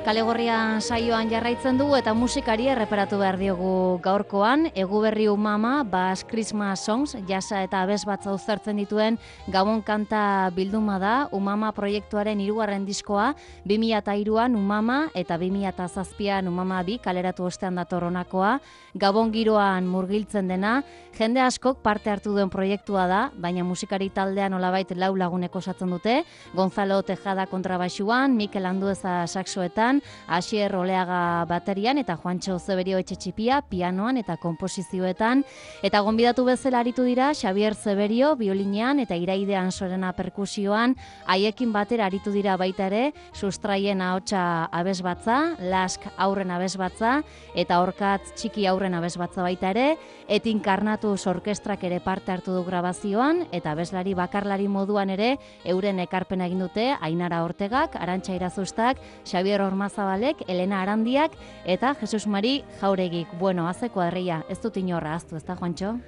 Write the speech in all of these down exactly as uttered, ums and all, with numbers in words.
Kalegorria saioan jarraitzen dugu eta musikari erreparatu behar diogu gaurkoan. Eguberri Umama, Bass Christmas Songs, jasa eta abesbatza uztartzen dituen Gabon kanta bilduma da. Umama proiektuaren hirugarren diskoa, bi mila hiruan Umama eta bi mila zazpian Umama bi kaleratu ostean dator honakoa. Gabon giroan murgiltzen dena, jende askok parte hartu duen proiektua da, baina musikari taldean nolabait lau lagunek osatzen dute. Gonzalo Tejada kontrabaxuan, Mikel Andueza saxoetan, Asier Oleaga baterian eta Juantxo Zeberio Etxetxipia pianoan eta konposizioetan. Eta gonbidatu bezala aritu dira Xabier Zeberio biolinean eta Iraide Ansorena perkusioan. Haiekin batera aritu dira baita ere Sustraien ahotsa abesbatza, Lask aurren abesbatza eta Orkatz txiki aurren abesbatza baita ere. Etin Karnatuz orkestrak ere parte hartu du grabazioan eta abeslari bakarlari moduan ere euren ekarpena egin dute Ainara Ortegak, Arantxa Irazustak, Xabier Ormazabalek, Elena Arandiak eta Jesus Mari Jauregik. Bueno, haze kuadrilla, ez dut inorra aztu, ez da, Juantxo?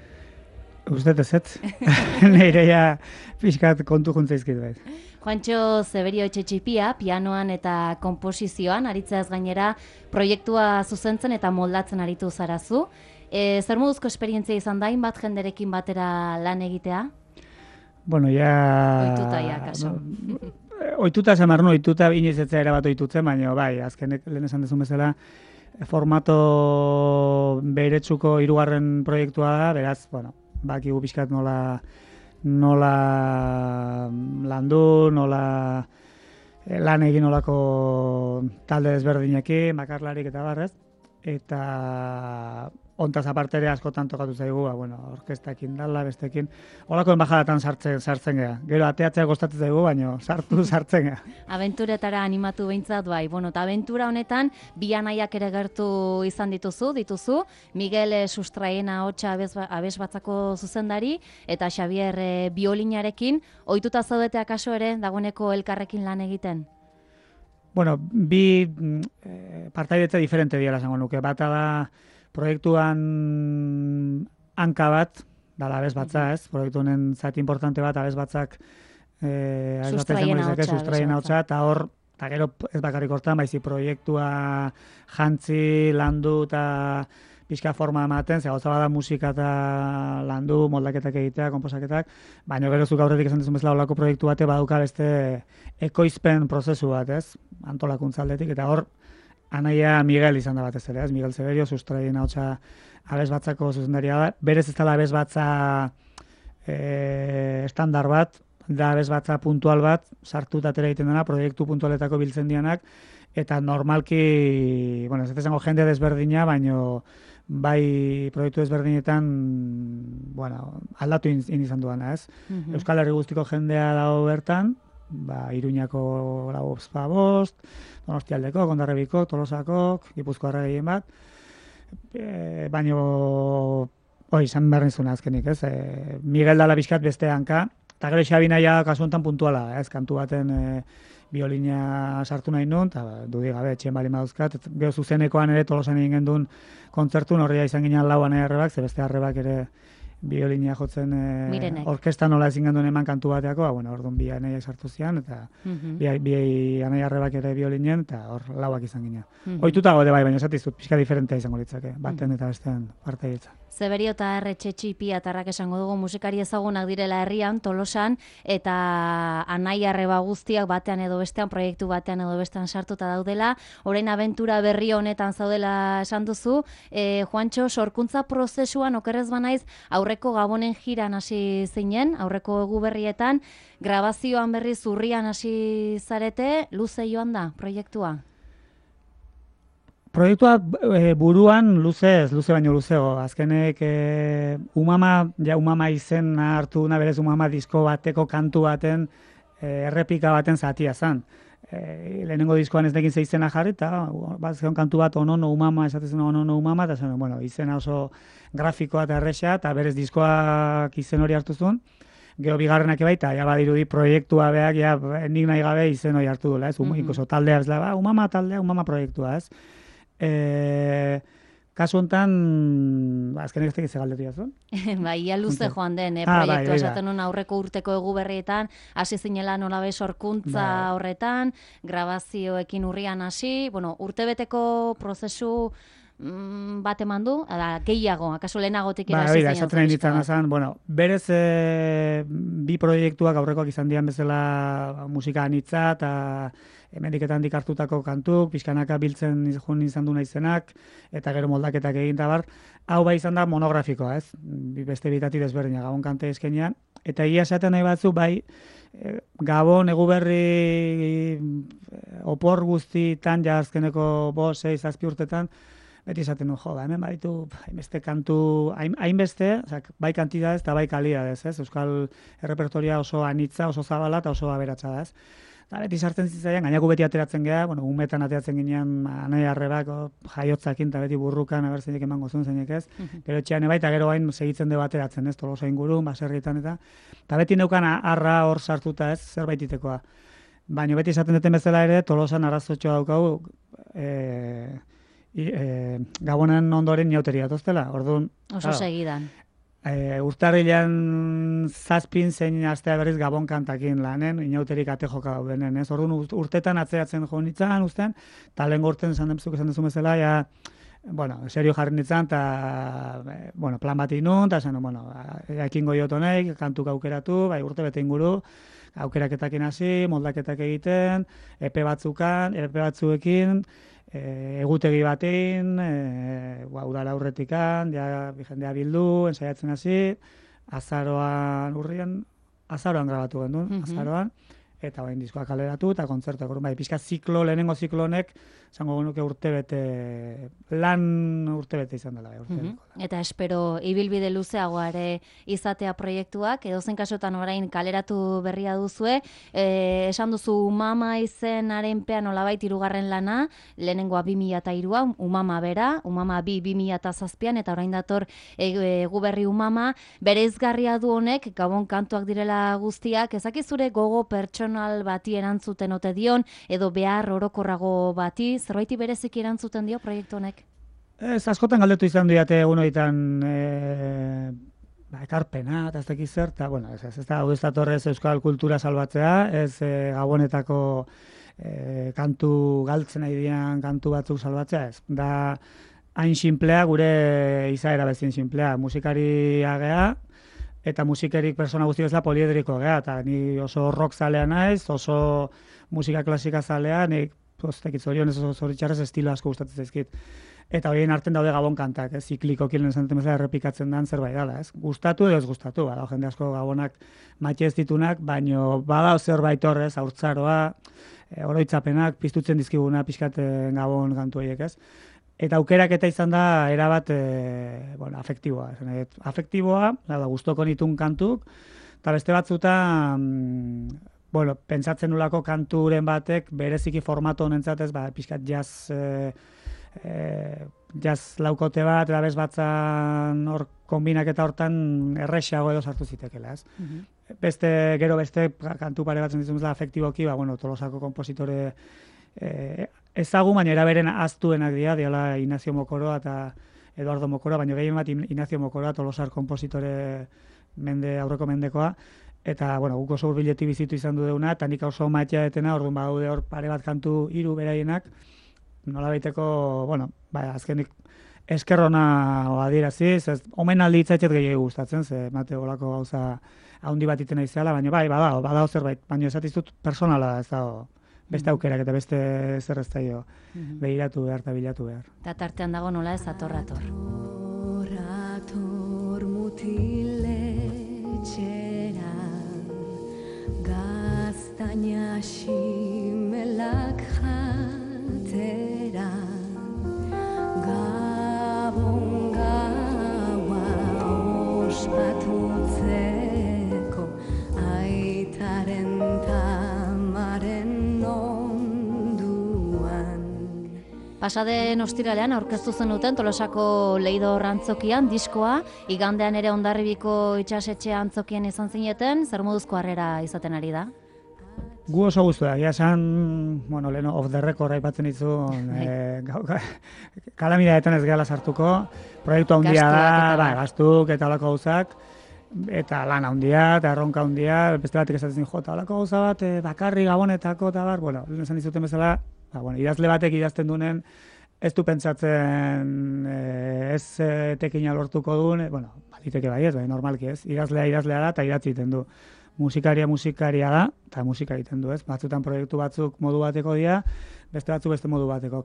Uztet ez ez. Neireia pixkat kontu juntzaizkit behar. Juantxo Zeberio Etxetxipia, pianoan eta komposizioan, aritzeaz gainera proiektua zuzentzen eta moldatzen aritu zarazu. E, zer moduzko esperientzia izan da, bat jenderekin batera lan egitea? Bueno, ja... Oituta, ja, kaso. Oituta esan behar, no, oituta inoiz etzea erabat oitutzen, baina bai, azkenek lehen esan dezun bezala, formato beretsuko hirugarren proiektua da, beraz, bueno, bakigu pixkat nola, nola landu, nola lan egin nolako talde desberdinekin, bakarlarik eta barrez, eta ontaz aparte ere askotan tokatu zaigu, ba, bueno, orkestakin dala, bestekin, holakoen bajadatan sartzen, sartzen gea. Gero ateatzea kostatzen zaigu, baina sartu sartzen gea. Abenturetara animatu behintzat bai. Bueno, eta abentura honetan, bi anaiak ere gertu izan dituzu, dituzu, Miguel Sustraien ahotsa abesbatzako zuzendari, eta Xabier e, biolinarekin, ohituta zaudete akaso ere, dagoeneko elkarrekin lan egiten? Bueno, bi eh, partaidetze diferente diela esango nuke. Bata da, proiektuan hanka bat, dala abesbatza, ez? Proiektu honen zati importante bat, abesbatzak eh, Sustraien ahotsa, Sustraien ahotsa, eta hor, eta gero ez bakarrik hortan, baizi proiektua jantzi, landu eta pixka forma ematen, ze gauza bada musika eta landu, moldaketak egitea, konposaketak, baina gero zuk aurretik esan dizun bezala olako proiektu bate baduka beste ekoizpen prozesu bat, ez? Antolakuntza aldetik, eta hor, anaia Miguel izan da batez ere, ez? Miguel Zeberio, Sustraien ahotsa abesbatzako zuzendaria da. Berez ez dela abesbatza e, estandar bat, da abesbatza puntual bat, sartu eta atera egiten dena, proiektu puntualetako biltzen dianak, eta normalki, bueno, ez ez zango jende desberdina, baino bai proiektu desberdinetan, bueno, aldatu in, in izan duana, ez? Mm-hmm. Euskal Herri guztiko jendea dago bertan, ba, Iruñako lauzpa bost, Donostialdeko, Kondarrebiko, Tolosako, Gipuzkoarra gehien bat, e, baino, oi, izan behar nizuna azkenik, ez? E, Miguel dala bizkat beste hanka, eta gero Xabi naia kasu honetan puntuala, ez? Kantu baten e, biolina sartu nahi nun, eta ba, dudik gabe, etxen bali maduzkat, gero zuzenekoan ere Tolosan egin gendun kontzertu, horria izan ginen lau anai arrebak, ze beste arrebak ere biolinia jotzen e, orkesta nola ezin genduen eman kantu bateako, ba, bueno, orduan bi anaiak sartu zian, eta mm-hmm. bi, bi anai arrebak ere biolinen, eta hor lauak izan ginen. Mm-hmm. Oituta gode bai, baina esatizut, pixka diferentea izango litzake, baten mm-hmm. eta bestean partaidetza. Zeberio eta Etxetxipia atarrak esango dugu musikari ezagunak direla herrian, Tolosan, eta anai arreba guztiak batean edo bestean, proiektu batean edo bestean sartuta daudela, orain abentura berri honetan zaudela esan duzu, e, Juantxo, sorkuntza prozesuan okerrez banaiz, aurreko Gabonen jiran hasi zinen, aurreko egu berrietan, grabazioan berri zurrian hasi zarete, luze joan da proiektua? Proiektua e, buruan luzez, luze baino luzego. Azkenek e, Umama, ja Umama izen hartu na berez Umama disko bateko kantu baten e, errepika baten zatia zan. E, lehenengo diskoan ez nekin ze izena jarri, eta bat zeon kantu bat onono Umama, esatezen onono Umama, eta zen, bueno, izena oso grafikoa eta erresa, eta berez diskoak izen hori hartu zuen. Gero bigarrenak baita, ja badirudi proiektua beak, ja nik nahi gabe izen hori hartu dula, ez? Mm-hmm. Ikoso taldea ez da, ba, Umama taldea, Umama proiektua, ez? E, kasu honetan, ba, azkenek ez tekiz egaldetu jazun. Bai, ia luze joan den, eh, Ah, bai, proiektua hori da. esaten nuen aurreko urteko egu berrietan, hasi zinela nolabe sorkuntza Bai. horretan, grabazioekin urrian hasi, bueno, urtebeteko prozesu mm, bat eman du, da, gehiago, akaso lehenagotik Ba, hasi hori da, zinen esaten nahi diska nintzen bat. azan, bueno, berez e, bi proiektuak aurrekoak izan dian bezala musika anitza eta hemendiketan dikartutako kantuk, pixkanaka biltzen jun izan du naizenak, eta gero moldaketak egin da bar. Hau bai izan da monografikoa, ez? Bi- Beste bitati desberdina, Gabon kante eskenean. Eta egia esaten nahi batzu, bai, e, Gabon, Eguberri, e, opor guztitan, ja azkeneko bost, sei, zazpi urtetan, beti esaten du, jo, ba, hemen baditu hainbeste kantu, hain- hainbeste, osea, bai kantidadez eta bai kalidadez, ez? Euskal errepertoria oso anitza, oso zabala eta oso aberatsa da, ez? Eta beti sartzen zitzaian, gainako beti ateratzen geha, bueno, umetan ateratzen ginean, anai arrebak, o, jaiotzakin, eta beti burrukan, aber zeinek emango zuen zeinek ez. Gero etxean bai, eta gero hain segitzen dugu ateratzen, ez, Tolosa ingurun, baserrietan eta. Eta beti neukan arra hor sartuta, ez, zerbaititekoa. Baina beti esaten duten bezala ere, Tolosan arazotxoa daukagu, e, i- e, Gabonen ondoren inauteria toztela. Orduan, Oso claro, segidan. E, urtarrilean zazpin zein astea berriz Gabon kantakin lanen, inauterik ate joka daudenen, ez? Orduan urt- urtetan atzeratzen jo nitzan, ustean, eta lehen urten esan demzuk esan duzu bezala, ja, bueno, serio jarri nitzan, eta, e, bueno, plan bat inun, eta esan, bueno, ekingo jotonek, kantuk aukeratu, bai, urte bete inguru, aukeraketakin hasi, moldaketak egiten, epe batzukan, epe batzuekin, E, egutegi batein, e, ba, udara aurretikan, ja, jendea bildu, ensaiatzen hasi, azaroan urrian, azaroan grabatu gendun, Mhm. azaroan, eta orain diskoa kaleratu, eta kontzertuak, orduan, bai, pixka ziklo, lehenengo ziklo honek, esango genuke urtebete, lan urtebete izan dela, bai, urtebete. Mhm. Eta espero ibilbide luzeagoa ere izatea proiektuak, edozein kasutan orain kaleratu berria duzue, e, esan duzu Umama izenaren pean olabait hirugarren lana, lehenengoa bi mila hiruan, Umama bera, Umama bi bi mila zazpian, eta orain dator e, egu berri Umama, bereizgarria du honek, Gabon kantuak direla guztiak, ezakizure gogo pertsonal bati erantzuten ote dion, edo behar orokorrago bati, zerbaiti bereziki erantzuten dio proiektu honek? Ez, askotan galdetu izan diate egun horietan e, ba, ekarpena, eta ez dakiz zer, eta, bueno, ez, ez, ez da, hau ez datorrez euskal kultura salbatzea, ez e, Gabonetako e, kantu galtzen nahi dian kantu batzuk salbatzea, ez. Da, hain sinplea, gure izaera bezin sinplea, musikariak gea, eta musikerik persona guzti bezala poliedriko gea, eta ni oso rock zalea naiz, oso musika klasika zalea, nik, postekit zorionez oso zoritxarrez estilo asko gustatzen zaizkit. Eta horien arten daude Gabon kantak, ez, ziklikoki lehen esan duten bezala errepikatzen dan zerbait dela, ez? Gustatu edo ez gustatu, bada, jende asko Gabonak matxe ez ditunak, baino bada zerbait horrez, haurtzaroa, e, oroitzapenak, piztutzen dizkiguna pixkat Gabon kantu horiek, ez? Eta aukeraketa izan da erabat e, bueno, afektiboa, esan nahi dut. Afektiboa, da, gustoko nitun kantuk, eta beste batzuta, mm, bueno, pentsatzen nulako kanturen batek bereziki formato honentzat ez, ba, pixkat jazz e, E, jazz laukote bat, eta bez batzan hor kombinaketa hortan errexago edo sartu zitekela, ez? Mhm. Beste, gero beste kantu pare batzen ditzen afektiboki, ba, bueno, Tolosako kompositore e, ezagun, baina eraberen aztuenak dira, diala Ignacio Mokoroa eta Eduardo Mokoroa, baina gehien bat Ignacio Mokoroa, Tolosar kompositore mende, aurreko mendekoa, eta, bueno, guk oso hurbiletik bizitu izan du deuna, eta nik oso maitea etena, orduan badaude hor pare bat kantu hiru beraienak, nola baiteko, bueno, ba, azkenik eskerrona adieraziz, ez, omen aldi itzaitzet gehiago gustatzen, ze mate golako gauza haundi bat itena izela, baina bai, badao, badao zerbait, baina esatiztut personala da, ez dago, beste aukerak eta beste zer ez daio behiratu behar eta bilatu behar. Eta tartean dago nola ez ator-ator. Ator mutiletxera, gaztaina ximelak jatera, Gabon gaua ospatutzeko, aitaren tamaren onduan. Pasaden ostiralean aurkeztu zenuten Tolosako Leidor antzokian diskoa, igandean ere Hondarribiko itsasetxe antzokien izan zineten, zer moduzko harrera izaten ari da? Gu oso guztu da, egia esan, bueno, lehen off the record aipatzen dizu, e, kalamidadetan ez gehala sartuko, proiektu handia da, bai, gastuk eta holako gauzak, eta lan handia, eta erronka handia, beste batek esatzen jota, holako gauza bat, e, bakarri gabonetako, eta bar, bueno, lehen esan dizuten bezala, ba, bueno, idazle batek idazten duen, ez du pentsatzen eh, ez eh, tekina lortuko duen, eh, bueno, baliteke bai ez, bai, normalki ez, idazlea idazlea da eta idatzi egiten du. Musikaria musikaria da, eta musika egiten du ez, batzutan proiektu batzuk modu bateko dira, beste batzuk beste modu bateko.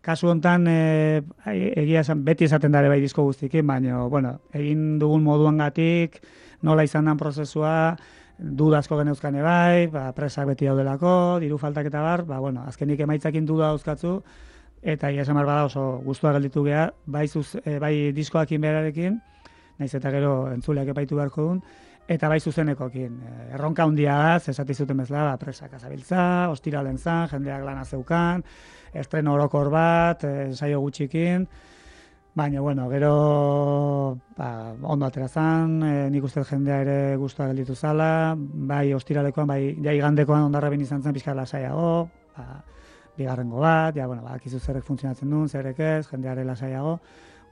Kasu hontan eh, egia esan, beti esaten dare bai disko guztikin, baina, bueno, egin dugun moduangatik, nola izan den prozesua, dudazko geneuzkane bai, ba, presak beti daudelako, diru faltak eta bar, ba, bueno, azkenik emaitzakin duda dauzkatzu, eta ia esan bada oso gustua gelditu gea, bai, zuz, e, bai diskoakin berarekin, naiz eta gero entzuleak epaitu beharko duen, eta bai zuzenekokin. E, erronka handia da, zesati zuten bezala, ba, presak azabiltza, ostiralen zan, jendeak lana zeukan, estreno orokor bat, e, saio gutxikin, baina, bueno, gero ba, ondo atera zan, e, nik uste jendea ere gustua gelditu zala, bai ostiralekoan, bai ja igandekoan ondarrabin izan zen pixka lasaiago, ba, bigarrengo bat, ja, bueno, bakizu zerrek funtzionatzen duen, zerrek ez, jendeare lasaiago,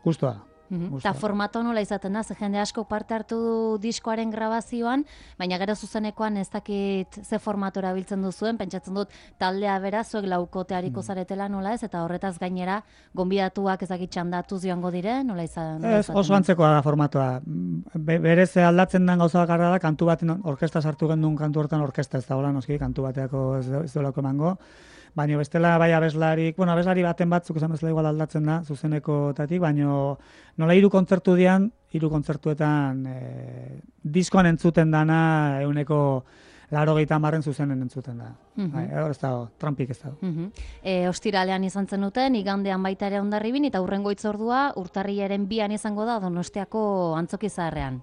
gustua. Eta formato nola izaten da, ze jende asko parte hartu du diskoaren grabazioan, baina gero zuzenekoan ez dakit ze formatora biltzen duzuen, pentsatzen dut taldea bera, zuek laukoteariko zaretela nola ez, eta horretaz gainera, gonbidatuak ez dakit txandatuz joango dire, nola izan? Ez, oso antzekoa da formatoa. Be, berez aldatzen den gauza bakarra da, kantu baten orkesta sartu gendun kantu hortan orkesta ez da, hola, noski, kantu bateako ez, ez dolako emango. Baina bestela bai abeslarik, bueno, abeslari baten batzuk esan bezala igual aldatzen da, zuzenekotatik, baina nola hiru kontzertu dian, hiru kontzertuetan e, diskoan entzuten dana euneko laro gehieta marren zuzenen entzuten da. Uh -huh. Bai, ez dago, trampik ez dago. Uh -huh. e, ostiralean izan zenuten, igandean baita ere Hondarribin, eta hurrengo hitzordua urtarrilaren bian izango da Donostiako Antzoki Zaharrean.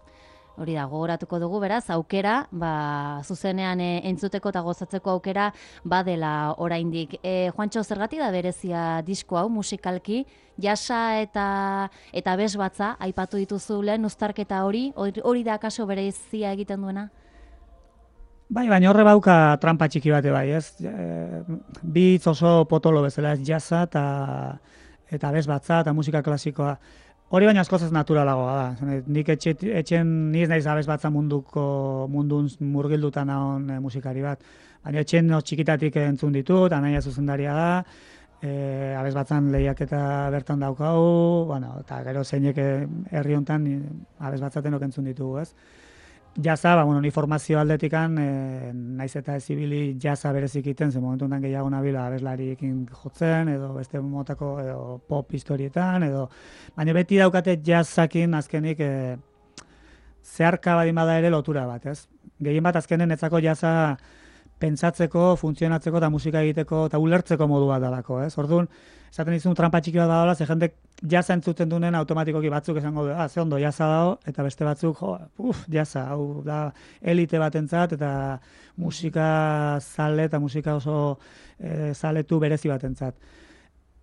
Hori da, gogoratuko dugu, beraz, aukera, ba, zuzenean e, entzuteko eta gozatzeko aukera badela oraindik. E, Juantxo, zergatik da berezia disko hau musikalki, jasa eta eta bez batza, aipatu dituzu lehen uztarketa hori, hori da akaso berezia egiten duena? Bai, baina horre bauka trampa txiki bate bai, ez? E, bi hitz oso potolo bezala, ez jasa eta, eta bez batza eta musika klasikoa. Hori baina askozaz naturalagoa da. Nik etxe, etxen niz naiz abez batza munduko mundun murgilduta naon e, musikari bat. Baina etxen no, txikitatik entzun ditut, anaia zuzendaria da, e, abez batzan lehiaketa bertan daukau, bueno, eta gero zeinek herri hontan abez batzaten entzun ditugu, ez? Jaza, ba, bueno, ni formazio aldetikan, e, naiz eta ez ibili jaza berezik iten, ze momentu honetan gehiago nabila abeslariekin jotzen, edo beste motako edo pop historietan, edo baina beti daukate jazakin azkenik e, zeharka badin bada ere lotura bat, ez? Gehien bat azkenen etzako jaza pentsatzeko, funtzionatzeko eta musika egiteko eta ulertzeko modu bat dalako, ez? Orduan, esaten dizun trampa txiki bat dagoela, ze jendek jaza entzuten duen automatikoki batzuk esango du, ah, ze ondo jaza dago, eta beste batzuk, jo, uf, jaza, hau da elite batentzat eta musika zale eta musika oso e, zaletu berezi batentzat.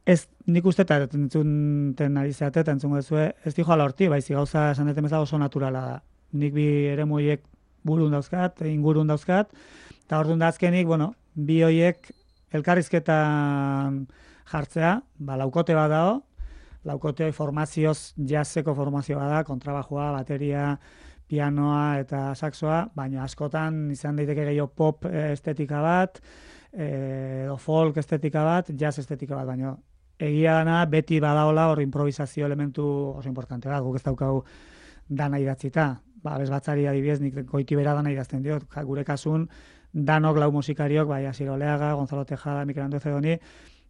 Ez, nik uste eta entzunten ari zeate eta entzungo dezue, ez di joala horti, baizi gauza esan deten bezala oso naturala da. Nik bi ere moiek burun dauzkat, ingurun dauzkat, eta orduan da azkenik, bueno, bi hoiek elkarrizketan jartzea, ba, laukote bat dago, laukote formazioz, jazzeko formazioa da, kontrabajua, bateria, pianoa eta saxoa, baina askotan izan daiteke gehiago pop estetika bat, edo folk estetika bat, jazz estetika bat, baina egia dana beti badaola hor improvisazio elementu oso importante bat, guk ez daukagu dana idatzita, ba, bezbatzari adibidez, nik goiti bera dana idazten diot, gure kasun, danok lau musikariok, bai, Asier Oleaga, Gonzalo Tejada, Mikel Andreu Zedoni,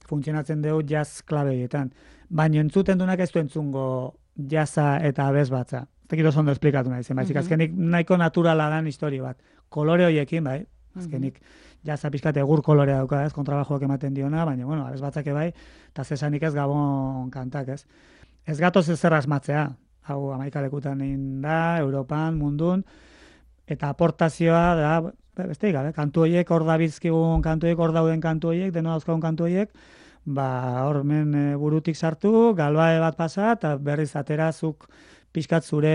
funtzionatzen dugu jazz klabeietan. Baina entzuten duenak ez du entzungo jazza eta abez batza. Ez dakit oso ondo esplikatu nahi zen, baizik, azkenik nahiko naturala dan historio bat. Kolore horiekin, bai, azkenik jazza pixkat egur kolorea dauka, ez, kontrabajoak ematen diona, baina, bueno, abez batzake bai, eta zesanik ez Gabon kantak, ez. Ez gatoz ez zer asmatzea, hau amaika lekutan egin da, Europan, mundun, eta aportazioa da, beste gabe, kantu horiek, hor da bizkigun kantu horiek, hor dauden kantu horiek, deno dauzkagun kantu horiek, ba, hor men e, burutik sartu, galbae bat pasa, eta berriz aterazuk pixkat zure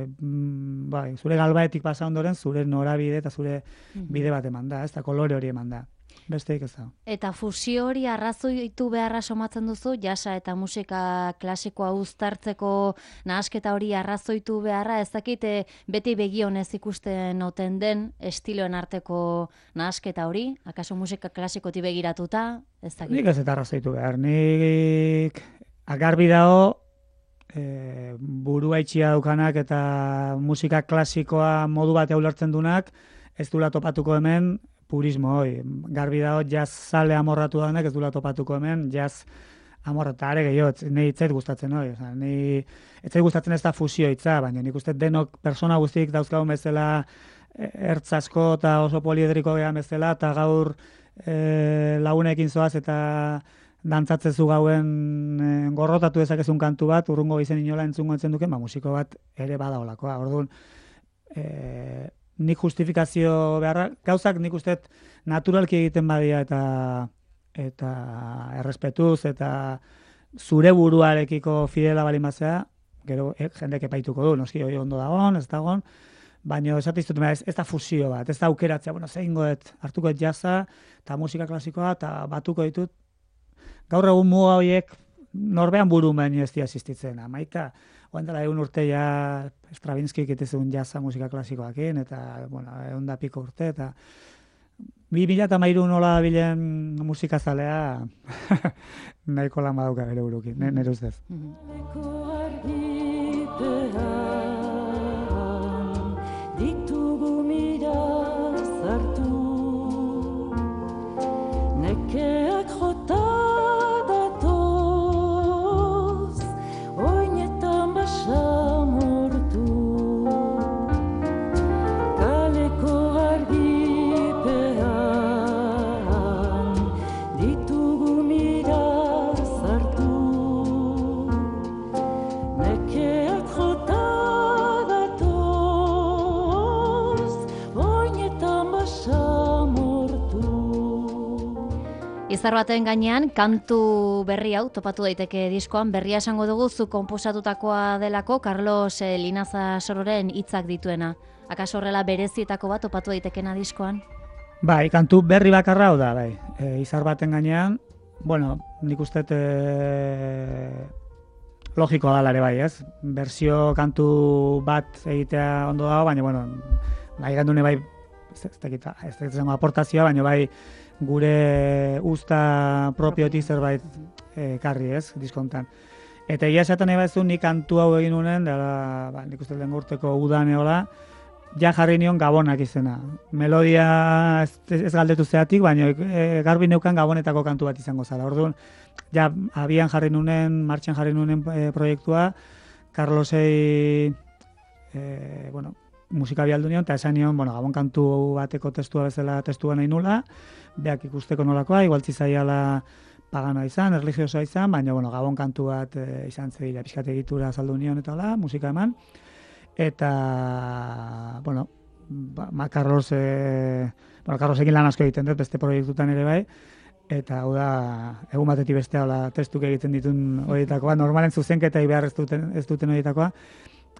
mm, bai, zure galbaetik pasa ondoren zure norabide eta zure bide bat eman da, ez da kolore hori eman da. Besteik ez da. Eta fusio hori arrazoitu beharra somatzen duzu, jasa eta musika klasikoa uztartzeko nahasketa hori arrazoitu beharra, ez dakit beti begionez ikusten oten den estiloen arteko nahasketa hori, akaso musika klasikotik begiratuta, ez dakit. Nik ez eta arrazoitu behar, nik agarbi dago, e, burua itxia daukanak eta musika klasikoa modu bat eulertzen dunak, ez dula topatuko hemen, purismo hoi, garbi dago jazz zale amorratu danak ez dula topatuko hemen, jazz amorratu, are gehiago, nahi itzait gustatzen hoi, oza, nahi itzait gustatzen ez da fusio itza, baina nik uste denok persona guztik dauzkagun bezala ertz asko eta oso poliedriko gehan bezala, eta gaur e, lagunekin zoaz eta dantzatzezu gauen e, gorrotatu dezakezun kantu bat, urrungo izen inola entzungo entzen duken, ba, musiko bat ere bada olakoa, orduan, e, nik justifikazio beharra, gauzak nik uste naturalki egiten badia eta eta errespetuz eta zure buruarekiko fidela balimazea, gero e, jendek epaituko du, noski hori ondo dagoen, ez dagoen, baina esatiztut, ez, ez da fusio bat, ez da aukeratzea, bueno, zein goet, hartuko et jazza eta musika klasikoa eta batuko ditut. Gaur egun muga horiek norbean burumen ez dia existitzen, amaika, oen dela egun urte ja Stravinskik itezun jazza musika klasikoakin, eta, bueno, egun da piko urte, eta bi mila eta mairu nola bilen musikazalea nahiko lan badauka bere burukin, nire ustez. Ditugu mira zartu, nekeak jota datoz, oinetan basamortu, kaleko argipean, ditugu mira zartu, nekeak jota Izar baten gainean, kantu berri hau topatu daiteke diskoan, berria esango dugu zu konposatutakoa delako Carlos eh, Linaza Sororen hitzak dituena. Akaso horrela berezietako bat topatu daitekena diskoan? Bai, kantu berri bakarra hau da, bai. E, izar baten gainean, bueno, nik uste e, logikoa da lare bai, ez? Berzio kantu bat egitea ondo dago, baina, bueno, nahi gandune bai, ez dakit, ez dakit zengo aportazioa, baina bai, gure usta propiotik zerbait ekarri, ez, diskontan. Eta egia esaten nahi bazu, nik kantu hau egin unen, dela, ba, nik uste den urteko udan eola, ja jarri nion Gabonak izena. Melodia ez, ez galdetu zeatik, baina e, garbi neukan Gabonetako kantu bat izango zala. Orduan, ja, abian jarri nunen, martxan jarri nunen e, proiektua, Carlosei, e, bueno, musika bialdu nion, eta esan nion, bueno, Gabon kantu bateko testua bezala testua nahi nula, beak ikusteko nolakoa, igual zizaiala paganoa izan, erligiosoa izan, baina, bueno, Gabon kantu bat e, izan zedila, pixkat egitura saldu nion eta hola, musika eman, eta, bueno, ba, Carlos, e, bueno, Carlosekin lan asko egiten dut, beste proiektutan ere bai, eta hau da, egun batetik beste hola testuk egiten ditun horietakoa, normalen zuzenketai behar ez duten, ez duten horietakoa,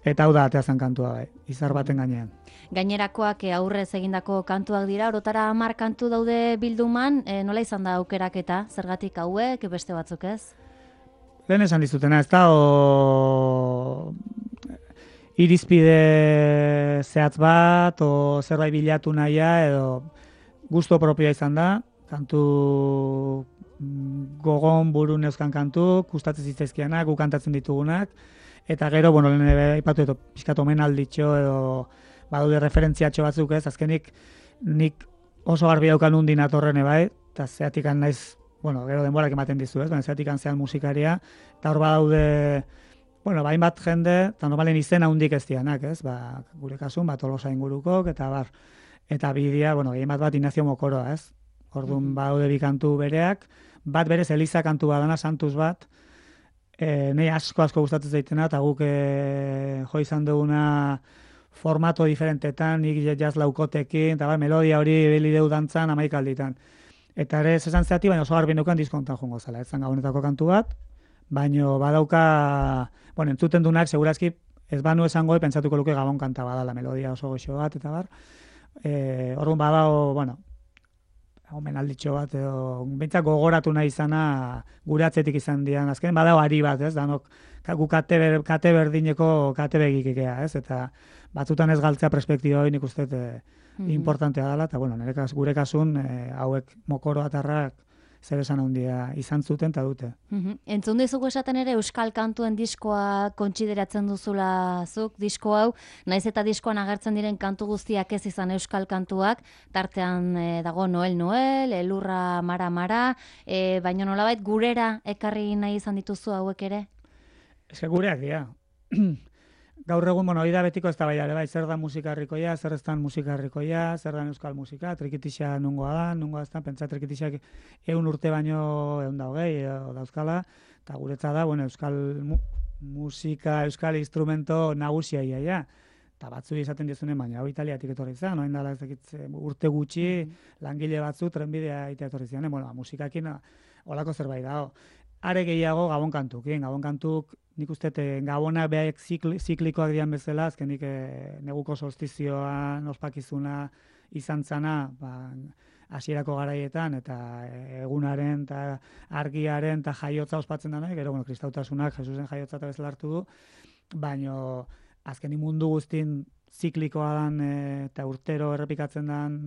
eta hau da ateazan kantua bai, izar baten gainean. Gainerakoak aurrez egindako kantuak dira, orotara hamar kantu daude bilduman, e, nola izan da aukeraketa, zergatik hauek, beste batzuk ez? Lehen esan dizutena, ez da, o... irizpide zehatz bat, o zerbait bilatu nahia, edo gusto propioa izan da, kantu gogon burun euskan kantu, gustatzen zitzaizkianak, gu kantatzen ditugunak, eta gero, bueno, lehen ipatu edo pixkat omenalditxo edo badaude referentziatxo batzuk ez, azkenik nik oso garbi daukan undin atorrene bai, eta zeatikan naiz, bueno, gero denborak ematen dizu ez, baina zeatikan zean musikaria, eta hor badaude, bueno, bain bat jende, eta normalen izena hundik ez dianak, ez, ba, gure kasun, bat Tolosa ingurukok, eta bar, eta bidia, bueno, gehien bat bat Ignacio Mokoroa, ez, orduan badaude bi kantu bereak, bat berez Eliza kantu badana, Santus bat, E, nahi asko asko gustatzen zaitena, eta guk e, jo izan duguna formato diferentetan, nik jazz laukotekin, eta bai, melodia hori beli deu dantzan amaik alditan. Eta ere, zesan zeati, baina oso garbi neukan diskontan jongo zela. Ez zan Gabonetako kantu bat, baina badauka bueno, entzuten dunak, segurazki, ez banu esango, pentsatuko luke Gabon kanta badala, melodia oso goxo bat, eta bar. E, Orduan badao, bueno, omenalditxo bat, edo, bintzak gogoratu nahi izana, gure atzetik izan dian, azken, badao ari bat, ez, danok, gu kate, ber, kate berdineko kate begikikea, ez, eta batzutan ez galtzea perspektiba hori nik uste e, importantea dela, eta bueno, nire kas, gure kasun e, hauek mokoro atarrak zer esan handia izan zuten eta dute. Mm-hmm. Entzun dizugu esaten ere euskal kantuen diskoa kontsideratzen duzula zuk, disko hau, naiz eta diskoan agertzen diren kantu guztiak ez izan euskal kantuak, tartean e, dago Noel Noel, Elurra Mara Mara, e, baina nolabait gurera ekarri nahi izan dituzu hauek ere? Ez que gureak dira. Gaur egun, bueno, hori da betiko ez da bai, bai, zer da musika herrikoia, zer ez da musika herrikoia, zer da euskal musika, trikitixa nungoa da, nungoa ez da, pentsa trikitixak eun urte baino eun da hogei, dauzkala, eta guretza da, bueno, euskal mu musika, euskal instrumento nagusia ia, ja. Eta batzu izaten dizunen, baina hau Italiatik etorri zen, noin dala ez dakit urte gutxi, langile batzu trenbidea ite etorri zen, bueno, musikakin olako zerbait dago. Are gehiago Gabon kantukin, Gabon kantuk nik uste Gabona behak zikli, ziklikoak dian bezala, azkenik e, neguko solstizioan ospakizuna izan zana, ba, hasierako garaietan, eta egunaren, eta argiaren, eta jaiotza ospatzen da, gero, bueno, kristautasunak Jesusen jaiotza eta bezala hartu du, baino azkenik mundu guztin ziklikoa dan, e, eta urtero errepikatzen dan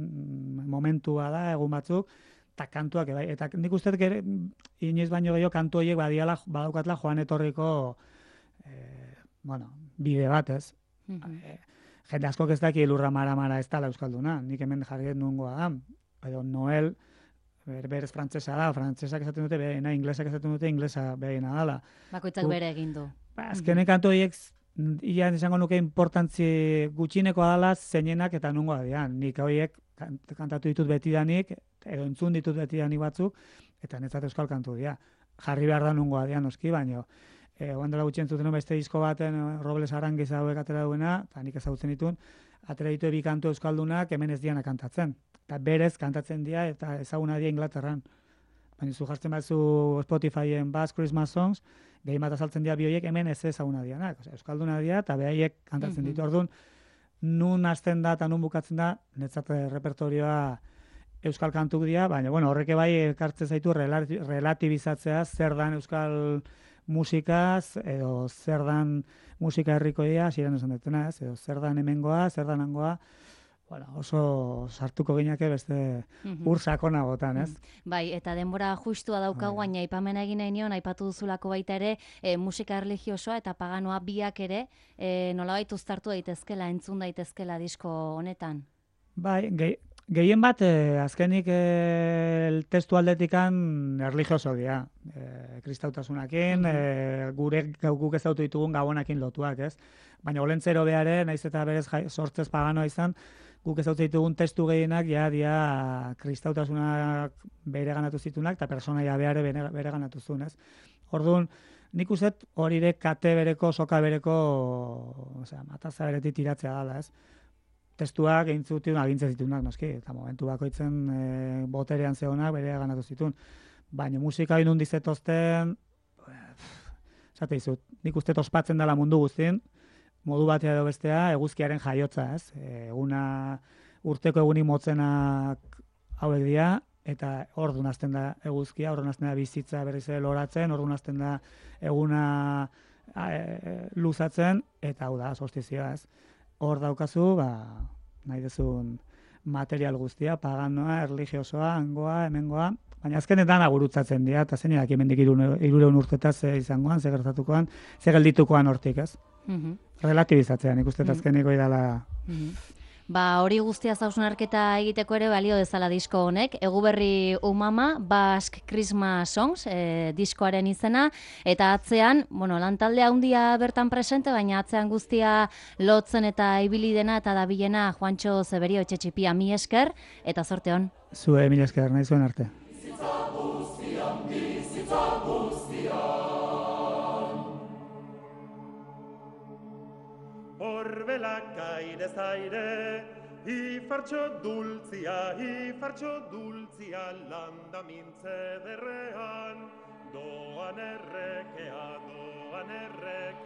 momentua da, egun batzuk, eta kantuak, bai, eta nik uste gere, inoiz baino gehiago kantu horiek badiala, badaukatla joan etorriko eh, bueno, bide bat, ez? Mm-hmm. e, jende askok ez daki Elurra Mara Mara ez dala euskalduna, nik hemen jarriet nungoa da, edo Noel, ber, berez frantzesa da, frantzesak esaten dute behena, inglesak esaten dute inglesa behena dala. Bakoitzak bere egin du. Ba, azkenek kantu horiek, ia izango nuke importantzi gutxinekoa dala zeinenak eta nungoa dian, nik horiek kantatu ditut betidanik, edo entzun ditut betidanik batzuk, eta netzat euskal kantu dira. Jarri behar da nungoa dian noski, baino, e, oan dela gutxi entzuten beste disko baten, Robles Arangiz hauek atera duena, eta nik ezagutzen ditun, atera ditu ebi kantu euskaldunak hemen ez diana kantatzen. Eta berez kantatzen dira, eta ezaguna dira Inglaterran. Baina zu jartzen batzu Spotifyen Bass Christmas Songs, gehi bat azaltzen dira bioiek hemen ez ezaguna dianak. Osea, euskalduna dira, eta behaiek kantatzen ditu. Orduan, nun hasten da eta nun bukatzen da, netzat repertorioa euskal kantuk dira, baina bueno, horreke bai ekartzen zaitu relatibizatzea zer dan euskal musikaz, edo zer dan musika herrikoia, hasieran esan dutena, ez, edo zer dan hemengoa, zer dan hangoa, bueno, oso sartuko gineke beste ur sakonagotan, ez? Bai, eta denbora justua daukagu, baina aipamena egin nahi nion, aipatu duzulako baita ere, e, musika erlijiosoa eta paganoa biak ere, e, nolabait uztartu daitezkela, entzun daitezkela disko honetan. Bai, gehi, gehien bat, eh, azkenik eh, testu aldetikan erlijioso dira. Eh, kristautasunakin, eh, gure guk ezautu ditugun gabonakin lotuak, ez? Baina olentzero behare, naiz eta berez jai, sortzez paganoa izan, guk ezautu ditugun testu gehienak, ja, dia kristautasunak bere ganatu zitunak, eta personaia behare bere, bere ganatu zuen, ez? Orduan, nik uste hori kate bereko, soka bereko, osea, mataza beretik tiratzea dela, ez? Testuak egintzutun agintzen zitunak, noski, eta momentu bakoitzen e, boterean zehonak bere ganatu zituen. Baina musika inun dizetozten, esate izut, nik uste ospatzen dela mundu guztien, modu batea edo bestea, eguzkiaren jaiotza, ez? Eguna, urteko egunik motzenak hauek dira, eta orduan hasten da eguzkia, orduan hasten da bizitza berriz ere loratzen, orduan hasten da eguna e, luzatzen, eta hau da, solstizioa, ez? Hor daukazu, ba, nahi dezun material guztia, paganoa, erlijiosoa, hangoa, hemengoa, baina azkenetan agurutzatzen dira, eta zein edak hemendik hirureun urtetaz ze izangoan, ze gertatukoan, ze gelditukoan hortik, ez? Mm-hmm. Relativizatzean, ikusten azkeniko idala. Mm-hmm. Ba, hori guztia zauzunarketa egiteko ere balio dezala disko honek. Eguberri Umama, Basque Christmas Songs, e, diskoaren izena, eta atzean, bueno, lantalde handia bertan presente, baina atzean guztia lotzen eta ibili dena eta dabilena Juantxo Zeberio Etxetxipia, mi esker, eta zorte hon. Zue, mi esker, nahi zuen arte. Bizitza guztian, bizitza guztian. Orbelak aire zaire, ifartxo dultzia, ifartxo dultzia, landa mintze derrean, doan errekea, doan errekea.